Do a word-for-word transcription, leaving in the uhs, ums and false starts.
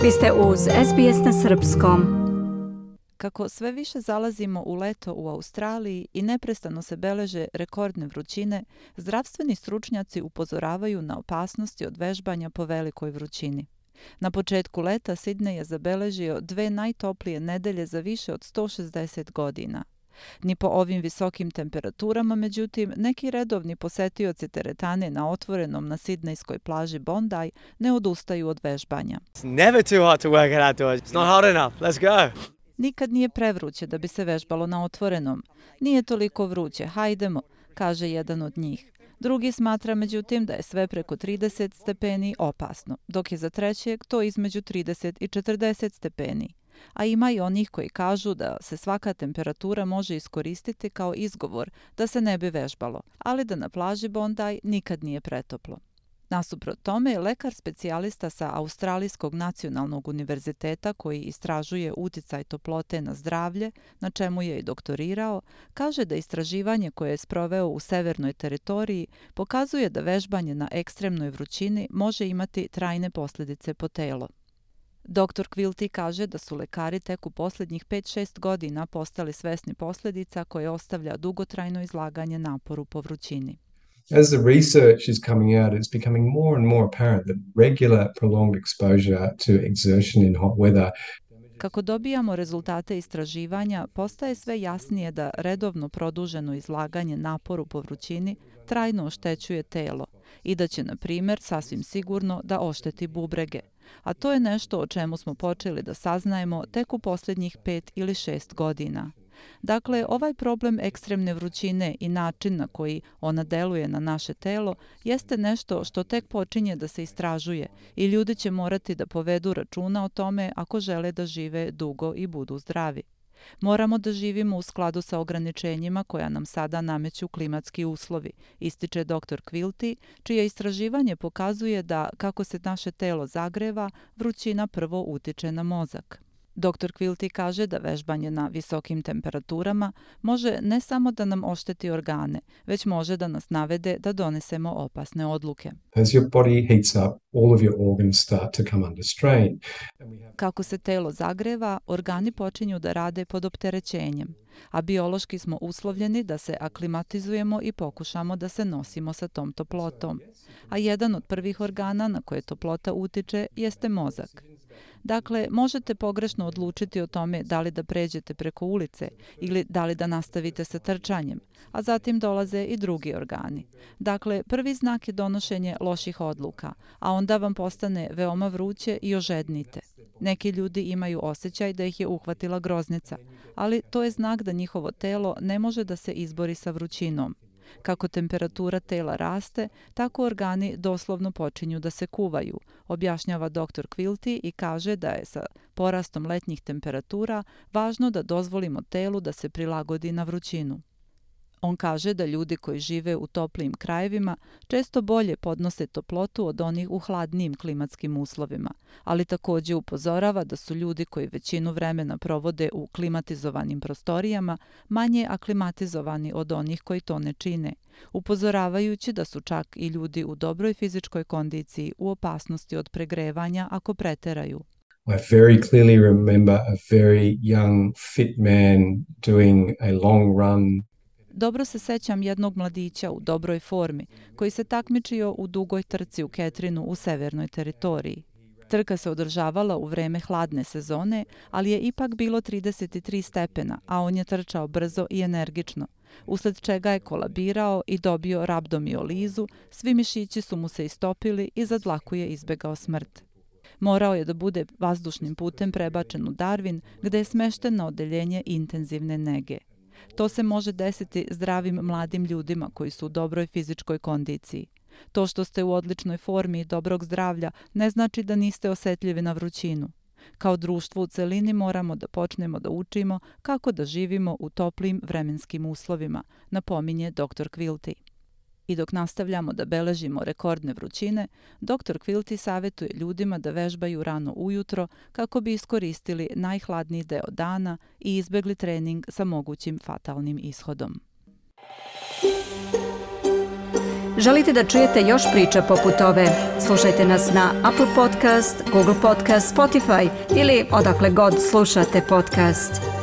Vi ste uz S B S na srpskom. Kako sve više zalazimo u leto u Australiji i neprestano se beleže rekordne vrućine, zdravstveni stručnjaci upozoravaju na opasnosti od vežbanja po velikoj vrućini. Na početku leta Sidney je zabeležio dve najtoplije nedelje za više od sto šezdeset godina. Ni po ovim visokim temperaturama, međutim, neki redovni posetioci teretane na otvorenom na sidnejskoj plaži Bondi ne odustaju od vežbanja. It's never too hot to work it outdoors. It's not hot enough. Let's go. Nikad nije prevruće da bi se vežbalo na otvorenom. Nije toliko vruće, hajdemo, kaže jedan od njih. Drugi smatra, međutim, da je sve preko trideset stepeni opasno, dok je za trećeg to između trideset i četrdeset stepeni. A ima i onih koji kažu da se svaka temperatura može iskoristiti kao izgovor da se ne bi vežbalo, ali da na plaži Bondi nikad nije pretoplo. Nasuprot tome, lekar specijalista sa Australijskog nacionalnog univerziteta koji istražuje uticaj toplote na zdravlje, na čemu je i doktorirao, kaže da istraživanje koje je sproveo u severnoj teritoriji pokazuje da vežbanje na ekstremnoj vrućini može imati trajne posljedice po telo. Doktor Quilty kaže da su lekari tek u posljednjih pet šest godina postali svesni posljedica koje ostavlja dugotrajno izlaganje naporu po vrućini. As the research is coming out, it's becoming more and more apparent that regular prolonged exposure to exertion in hot weather. Kako dobijamo rezultate istraživanja, postaje sve jasnije da redovno produženo izlaganje naporu po vrućini trajno oštećuje telo i da će, na primjer, sasvim sigurno da ošteti bubrege. A to je nešto o čemu smo počeli da saznajemo tek u posljednjih pet ili šest godina. Dakle, ovaj problem ekstremne vrućine i način na koji ona deluje na naše telo jeste nešto što tek počinje da se istražuje i ljudi će morati da povedu računa o tome ako žele da žive dugo i budu zdravi. Moramo da živimo u skladu sa ograničenjima koja nam sada nameću klimatski uslovi, ističe doktor Quilty, čije istraživanje pokazuje da kako se naše telo zagreva, vrućina prvo utiče na mozak. doktor Quilty kaže da vežbanje na visokim temperaturama može ne samo da nam ošteti organe, već može da nas navede da donesemo opasne odluke. As your body heats up, all of your organs start to come under strain. Kako se telo zagreva, organi počinju da rade pod opterećenjem, a biološki smo uslovljeni da se aklimatizujemo i pokušamo da se nosimo sa tom toplotom. A jedan od prvih organa na koje toplota utiče jeste mozak. Dakle, možete pogrešno odlučiti o tome da li da pređete preko ulice ili da li da nastavite sa trčanjem, a zatim dolaze i drugi organi. Dakle, prvi znak je donošenje loših odluka, a onda vam postane veoma vruće i ožednite. Neki ljudi imaju osjećaj da ih je uhvatila groznica, ali to je znak da njihovo telo ne može da se izbori sa vrućinom. Kako temperatura tela raste, tako organi doslovno počinju da se kuvaju, objašnjava doktor Quilty i kaže da je sa porastom letnjih temperatura važno da dozvolimo telu da se prilagodi na vrućinu. On kaže da ljudi koji žive u toplijim krajevima često bolje podnose toplotu od onih u hladnijim klimatskim uslovima, ali također upozorava da su ljudi koji većinu vremena provode u klimatizovanim prostorijama manje aklimatizovani od onih koji to ne čine, upozoravajući da su čak i ljudi u dobroj fizičkoj kondiciji u opasnosti od pregrevanja ako preteraju. I very clearly remember a very young, fit man doing a long run. Dobro se sećam jednog mladića u dobroj formi koji se takmičio u dugoj trci u Ketrinu u severnoj teritoriji. Trka se održavala u vreme hladne sezone, ali je ipak bilo trideset tri stepena, a on je trčao brzo i energično, usled čega je kolabirao i dobio rabdomiolizu, svi mišići su mu se istopili i za dlaku je izbegao smrt. Morao je da bude vazdušnim putem prebačen u Darwin, gde je smešten na odeljenje intenzivne nege. To se može desiti zdravim mladim ljudima koji su u dobroj fizičkoj kondiciji. To što ste u odličnoj formi i dobrog zdravlja ne znači da niste osetljivi na vrućinu. Kao društvo u celini moramo da počnemo da učimo kako da živimo u toplim vremenskim uslovima, napominje doktor Quilty. I dok nastavljamo da beležimo rekordne vrućine, doktor Quilty savjetuje ljudima da vežbaju rano ujutro kako bi iskoristili najhladniji deo dana i izbegli trening sa mogućim fatalnim ishodom. Želite da čujete još priča poput ove? Slušajte nas na Apple Podcast, Google Podcast, Spotify ili odakle god slušate podcast.